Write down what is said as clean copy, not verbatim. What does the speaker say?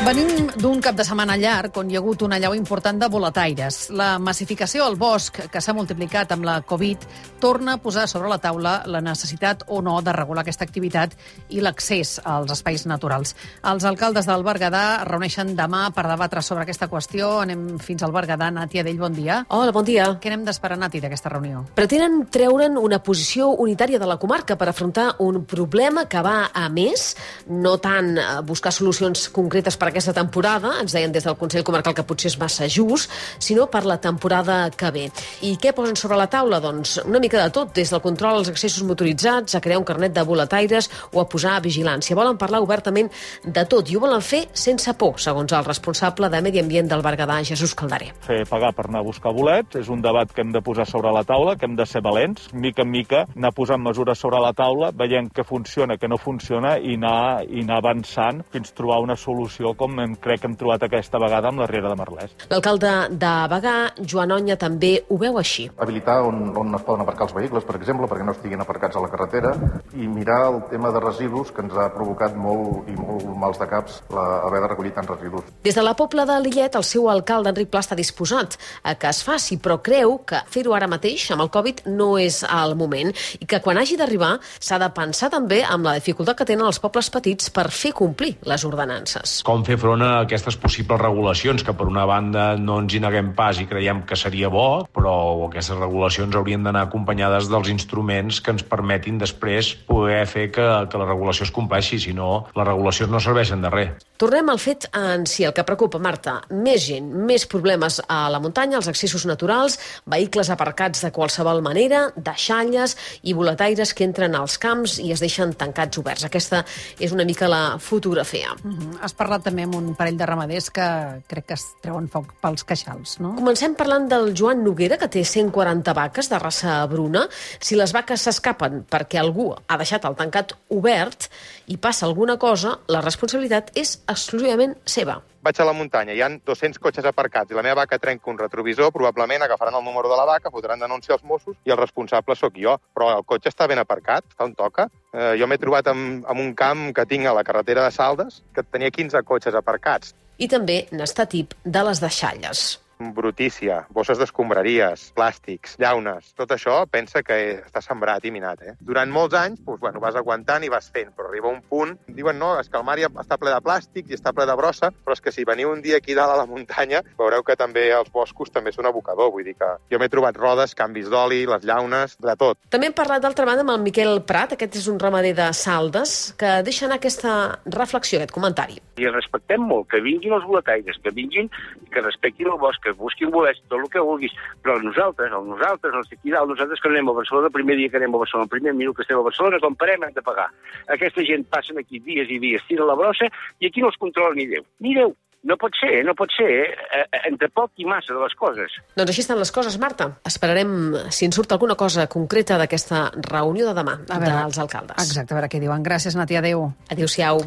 Venim d'un cap de setmana llarg on hi ha hagut una allau important de boletaires. La massificació al bosc, que s'ha multiplicat amb la Covid, torna a posar sobre la taula la necessitat o no de regular aquesta activitat i l'accés als espais naturals. Els alcaldes del Berguedà es reuneixen demà per debatre sobre aquesta qüestió. Anem fins al Berguedà. Nàtia Dell, bon dia. Hola, bon dia. Què n'hem d'esperar, Nati, d'aquesta reunió? Pretenen treure'n una posició unitària de la comarca per afrontar un problema que va a més, no tant buscar solucions concretes per aquesta temporada, ens deien des del Consell Comarcal que potser és massa just, sinó per la temporada que ve. I què posen sobre la taula? Doncs una mica de tot, des del control als accessos motoritzats, a crear un carnet de boletaires o a posar vigilància. Volen parlar obertament de tot i ho volen fer sense por, segons el responsable de Medi Ambient del Berguedà, Jesús Caldaré. Fer pagar per anar a buscar bolets és un debat que hem de posar sobre la taula, que hem de ser valents, mica en mica, anar posant mesures sobre la taula, veient què funciona, què no funciona i anar avançant fins a trobar una solució com crec que hem trobat aquesta vegada amb la Riera de Merlès. L'alcalde de Bagà, Joan Onya, també ho veu així. Habilitar on es poden aparcar els vehicles, per exemple, perquè no estiguin aparcats a la carretera, i mirar el tema de residus, que ens ha provocat molt mals de caps haver de recollir tants residus. Des de la Pobla de Lillet, el seu alcalde, Enric Pla, està disposat a que es faci, però creu que fer-ho ara mateix, amb el Covid, no és el moment, i que quan hagi d'arribar s'ha de pensar també amb la dificultat que tenen els pobles petits per fer complir les ordenances. Com fer front a aquestes possibles regulacions, que per una banda no ens hi neguem pas i creiem que seria bo, però aquestes regulacions haurien d'anar acompanyades dels instruments que ens permetin després poder fer que la regulació es compleixi, si no, les regulacions no serveixen de res. Tornem al fet en si, el que preocupa, Marta. Més gent, més problemes a la muntanya, als accessos naturals, vehicles aparcats de qualsevol manera, deixalles i boletaires que entren als camps i es deixen tancats oberts. Aquesta és una mica la fotografia. Has parlat també amb un parell de ramaders que crec que es treuen foc pels queixals, no? Comencem parlant del Joan Noguera, que té 140 vaques de raça bruna. Si les vaques s'escapen perquè algú ha deixat el tancat obert i passa alguna cosa, la responsabilitat és exclusivament seva. Vaig a la muntanya, hi ha 200 cotxes aparcats i la meva vaca trenca un retrovisor, probablement agafaran el número de la vaca, fotran denúncia als Mossos i el responsable sóc jo. Però el cotxe està ben aparcat, està on toca. Jo m'he trobat en un camp que tinc a la carretera de Saldes que tenia 15 cotxes aparcats. I també n'està tip de les deixalles. Brutícia, bosses d'escombraries, plàstics, llaunes, tot això pensa que està sembrat i minat. Durant molts anys vas aguantant i vas fent, però arriba un punt, diuen no, és que el mar ja està ple de plàstic i està ple de brossa, però és que si veniu un dia aquí dalt a la muntanya, veureu que també els boscos també són abocador, vull dir que jo m'he trobat rodes, canvis d'oli, les llaunes, de tot. També hem parlat d'altra banda amb el Miquel Prat, aquest és un ramader de Saldes, que deixa anar aquesta reflexió, aquest comentari. I respectem molt, que vinguin els boletaires, que vinguin, que respectin el bosc, que busquin bolets, tot el que vulguis, però nosaltres, els d'aquí dalt, nosaltres que anem a Barcelona, el primer dia que anem a Barcelona, el primer minut que estem a Barcelona, quan parem hem de pagar. Aquesta gent passen aquí dies i dies, tira la brossa, i aquí no els controla ni Déu. Ni Déu. No pot ser, entre poc i massa de les coses. Doncs així estan les coses, Marta. Esperarem si en surt alguna cosa concreta d'aquesta reunió de demà dels alcaldes. Exacte, a veure què diuen. Gràcies, Nàtia, adéu. Adéu-siau.